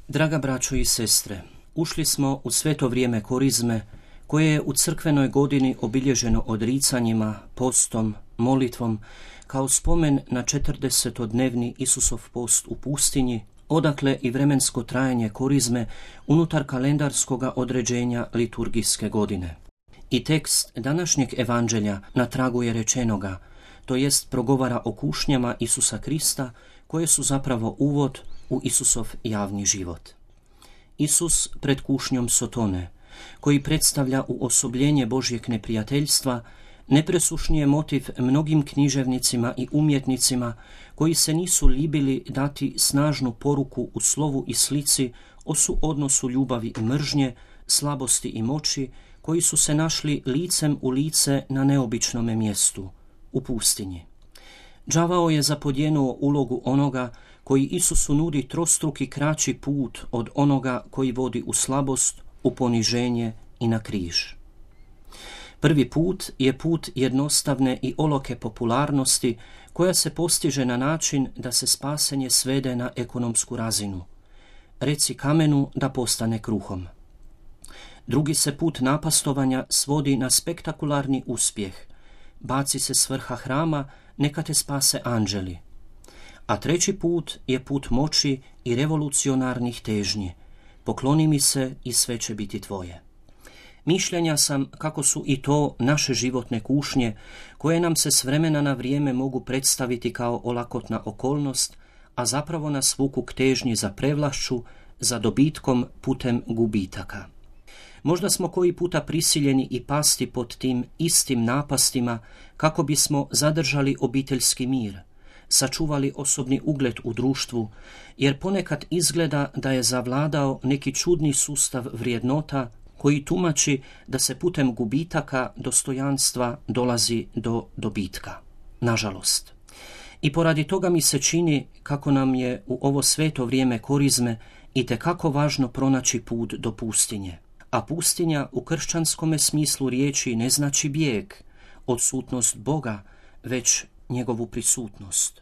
Draga braćo i sestre, ušli smo u sveto vrijeme korizme, koje je u crkvenoj godini obilježeno odricanjima, postom, molitvom, kao spomen na 40-dnevni Isusov post u pustinji, odakle i vremensko trajanje korizme unutar kalendarskoga određenja liturgijske godine. I tekst današnjeg evanđelja na tragu je rečenoga, to jest progovara o kušnjama Isusa Krista, koje su zapravo uvod u Isusov javni život. Isus pred kušnjom Sotone, koji predstavlja uosobljenje Božjeg neprijateljstva, nepresušnije motiv mnogim književnicima i umjetnicima koji se nisu libili dati snažnu poruku u slovu i slici o suodnosu ljubavi i mržnje, slabosti i moći, koji su se našli licem u lice na neobičnome mjestu, u pustinji. Đavao je zapodjenuo ulogu onoga koji Isusu nudi trostruki kraći put od onoga koji vodi u slabost, u poniženje i na križ. Prvi put je put jednostavne i oloke popularnosti koja se postiže na način da se spasenje svede na ekonomsku razinu. Reci kamenu da postane kruhom. Drugi se put napastovanja svodi na spektakularni uspjeh. Baci se s vrha hrama, neka te spase anđeli. A treći put je put moći i revolucionarnih težnji. Pokloni mi se i sve će biti tvoje. Mišljenja sam kako su i to naše životne kušnje, koje nam se s vremena na vrijeme mogu predstaviti kao olakotna okolnost, a zapravo nas vuku k težnji za prevlašću, za dobitkom putem gubitaka. Možda smo koji puta prisiljeni i pasti pod tim istim napastima kako bismo zadržali obiteljski mir, sačuvali osobni ugled u društvu, jer ponekad izgleda da je zavladao neki čudni sustav vrijednota koji tumači da se putem gubitaka dostojanstva dolazi do dobitka. Nažalost. I poradi toga mi se čini kako nam je u ovo sveto vrijeme korizme itekako važno pronaći put do pustinje. A pustinja u kršćanskome smislu riječi ne znači bijeg, odsutnost Boga, već njegovu prisutnost.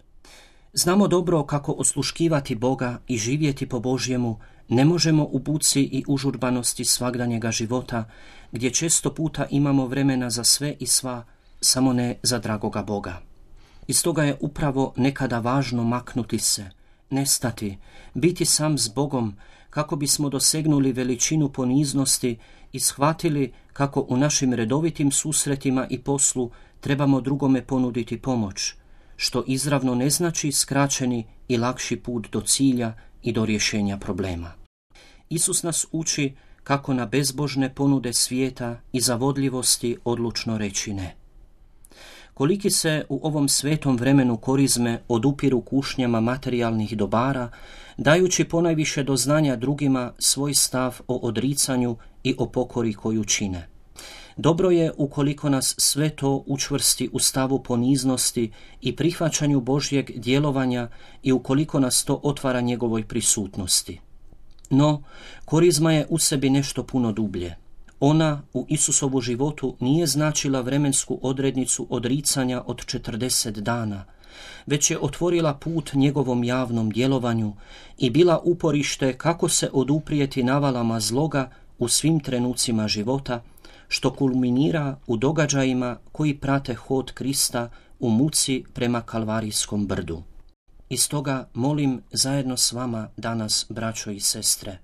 Znamo dobro kako osluškivati Boga i živjeti po Božjemu ne možemo u buci i užurbanosti svagdanjega života, gdje često puta imamo vremena za sve i sva, samo ne za dragoga Boga. I stoga je upravo nekada važno maknuti se, nestati, biti sam s Bogom, kako bismo dosegnuli veličinu poniznosti i shvatili kako u našim redovitim susretima i poslu trebamo drugome ponuditi pomoć, što izravno ne znači skraćeni i lakši put do cilja i do rješenja problema. Isus nas uči kako na bezbožne ponude svijeta i zavodljivosti odlučno reći ne. Koliki se u ovom svetom vremenu korizme odupiru kušnjama materijalnih dobara, dajući ponajviše do znanja drugima svoj stav o odricanju i o pokori koju čine. Dobro je ukoliko nas sve to učvrsti u stavu poniznosti i prihvaćanju Božjeg djelovanja i ukoliko nas to otvara njegovoj prisutnosti. No, korizma je u sebi nešto puno dublje. Ona u Isusovu životu nije značila vremensku odrednicu odricanja od 40 dana, već je otvorila put njegovom javnom djelovanju i bila uporište kako se oduprijeti navalama zloga u svim trenucima života, što kulminira u događajima koji prate hod Krista u muci prema Kalvarijskom brdu. I stoga molim zajedno s vama danas, braćo i sestre,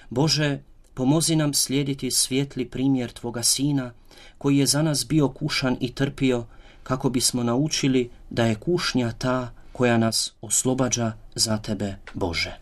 Bože, pomozi nam slijediti svijetli primjer Tvoga Sina, koji je za nas bio kušan i trpio, kako bismo naučili da je kušnja ta koja nas oslobađa za Tebe, Bože.